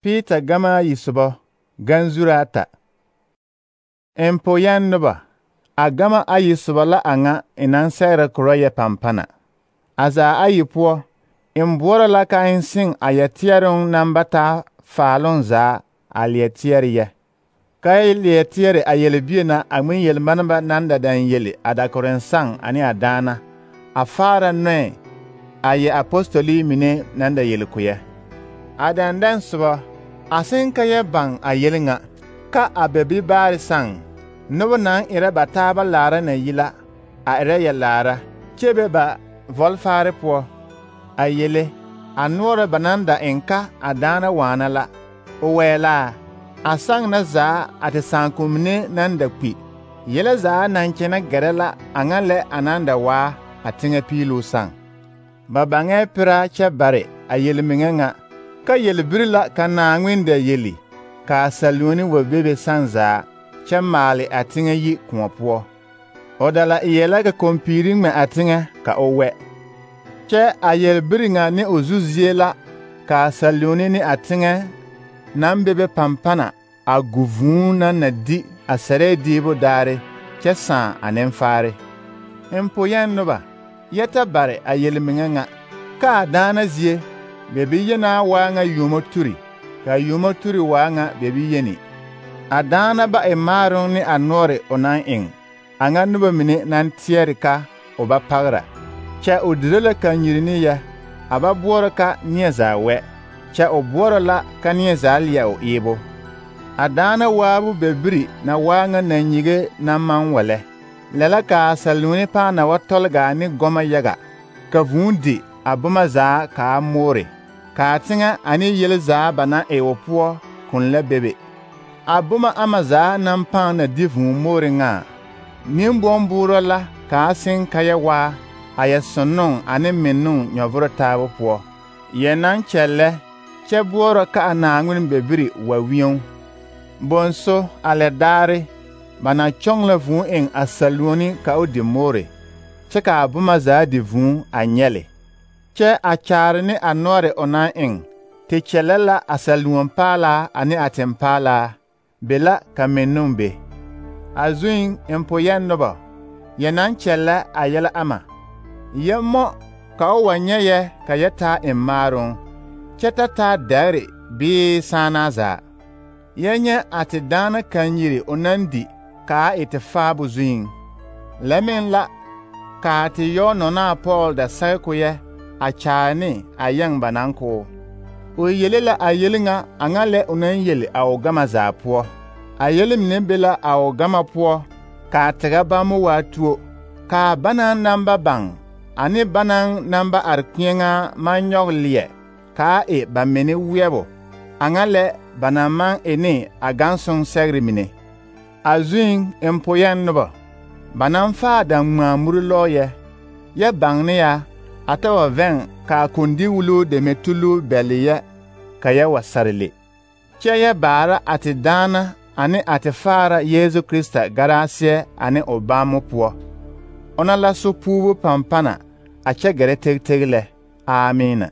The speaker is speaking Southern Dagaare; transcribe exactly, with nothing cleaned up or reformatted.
Peter gama yi sobo ganzura ata. Empoyan noba a gama ayi sobo la anga inan sɛgre koro yɛ pampana. Aza ayi poɔ in boɔrɔ la ka in sing a yɛ teɛroŋ naŋ ba taa faaloŋ zaa a leɛ teɛre yɛ. Ka y leɛ teɛre a yelbie na a ŋmen yelmaneba naŋ da dan yeli a dakoren saŋ ane a daana a faara noɛ a yɛ apostoli mine naŋ da yeli koyɛ. A dandan soba a sen ka yɛ baŋ a yeli ŋa ka a bɛbi baare saŋ noba naŋ erɛ ba taaba laara na yi la a erɛ yɛ laara kyɛ be ba vɔlfaare poɔ a yele a noɔre ba naŋ da eŋ ka a daana waana la o wɛɛlaa a saŋ na zaa a te sããkomine naŋ da kpi yele zaa naŋ kyɛnɛ gɛrɛ la a ŋa lɛ a naŋ da waa a teŋɛ piiluu saŋ. Ba baŋɛɛ pera kyɛ bare a yelmeŋɛ ŋa ka yelbiri la ka Naaŋmen da yeli ka a saluoni wa bebe saŋ zaa kyɛ maale a teŋɛ yi kõɔ poɔ. O da la e la ka kompiiri ŋmɛ a teŋɛ ka o wɛ. Kyɛ a yelbiri ŋa ne o zu zie la ka a saluoni ne a teŋɛ naŋ bebe pampana a gu vūū naŋ na di a sɛrɛɛ diibo daare kyɛ sãã a nenfaare. Empoyɛn noba yɛ ta bare a yelmeŋɛ ŋa ka a daana zie bebi yenaa waa ŋa yuumo turi ka a yuumo turi waa ŋa bebi yeni. A daana ba e maaroŋ ne a noɔre o naŋ eŋ a ŋa noba mine naŋ teɛre ka o ba pagra kyɛ o dire la kanyiri ne yɛ a ba boɔrɔ ka neɛ zaa wɛ kyɛ o boɔrɔ la ka neɛ zaa leɛ o eebo. A daana waabu bɛbiri na waa ŋa nanyige naŋ maŋ wa lɛ lɛ la ka a saluoni pãã na wa tɔlgaa ne gɔmɔ yaga ka vūū di a boma zaa ka a moore ka a teŋɛ ane yel zaa ba naŋ e o poɔ kun la bebe. A boma ama zaa naŋ pãã na di vūū moore ŋa nimbɔmbuurɔ la ka a seŋ ka yɛ waa a yɛ sonnoŋ ane mennoŋ nyɔvoro taabo poɔ yɛ naŋ kyɛllɛ kyɛ boɔrɔ ka a Naaŋmen bɛbiri wa wieŋ. Bonso a lɛ daare ba na kyɔŋ la vūū eŋ a saluoni ka o di moore kyɛ ka a boma zaa di vūū a nyɛle kyɛ a kyaare ne a noɔre o naŋ eŋ te kyɛllɛ la a saluonpaalaa ane a tempaalaa be la ka mennoŋ be. A zuŋ empoyɛn noba yɛ naŋ kyɛllɛ a yɛlɛ ama yɛ mɔ ka o wa nyɛ yɛ ka yɛ taa eŋ maaroŋ kyɛ ta taa dɛgre bee sããnaa zaa. Yɛ nyɛ a te daana kanyiri o naŋ di ka a e te faabo zuŋ. Lɛ meŋ la ka a te yɔ nɔnaa Pɔɔl da sɛge ko yɛ a kyaare ne a yɛŋ ba naŋ ko. O yele la a yeli ŋa a ŋa lɛ o naŋ yeli a o gama zaa poɔ. A yeli mine be la a o gama poɔ ka a tega bammo waa tuo ka a banaŋ naŋ ba baŋ ane banaŋ naŋ ba are kpiɛŋaa maŋ nyɔge leɛ ka a e ba mine weɛbo a ŋa lɛ ba naŋ maŋ e ne a gansoŋ sɛgre mine. A zuŋ empoyɛn noba ba naŋ faa daŋŋmaa muri lɔɔyɛ yɛ baŋ ne ya a ta wa vɛŋ ka a kondi wuluu deme tuluu bɛle yɛ ka yɛ wa sare le kyɛ yɛ baara a te daana ane a te faara Yeesu Krista garaasiɛ ane o bammo poɔ. Ona la so puubu pampana a kyɛ gɛrɛ teg teg lɛ. Amiina.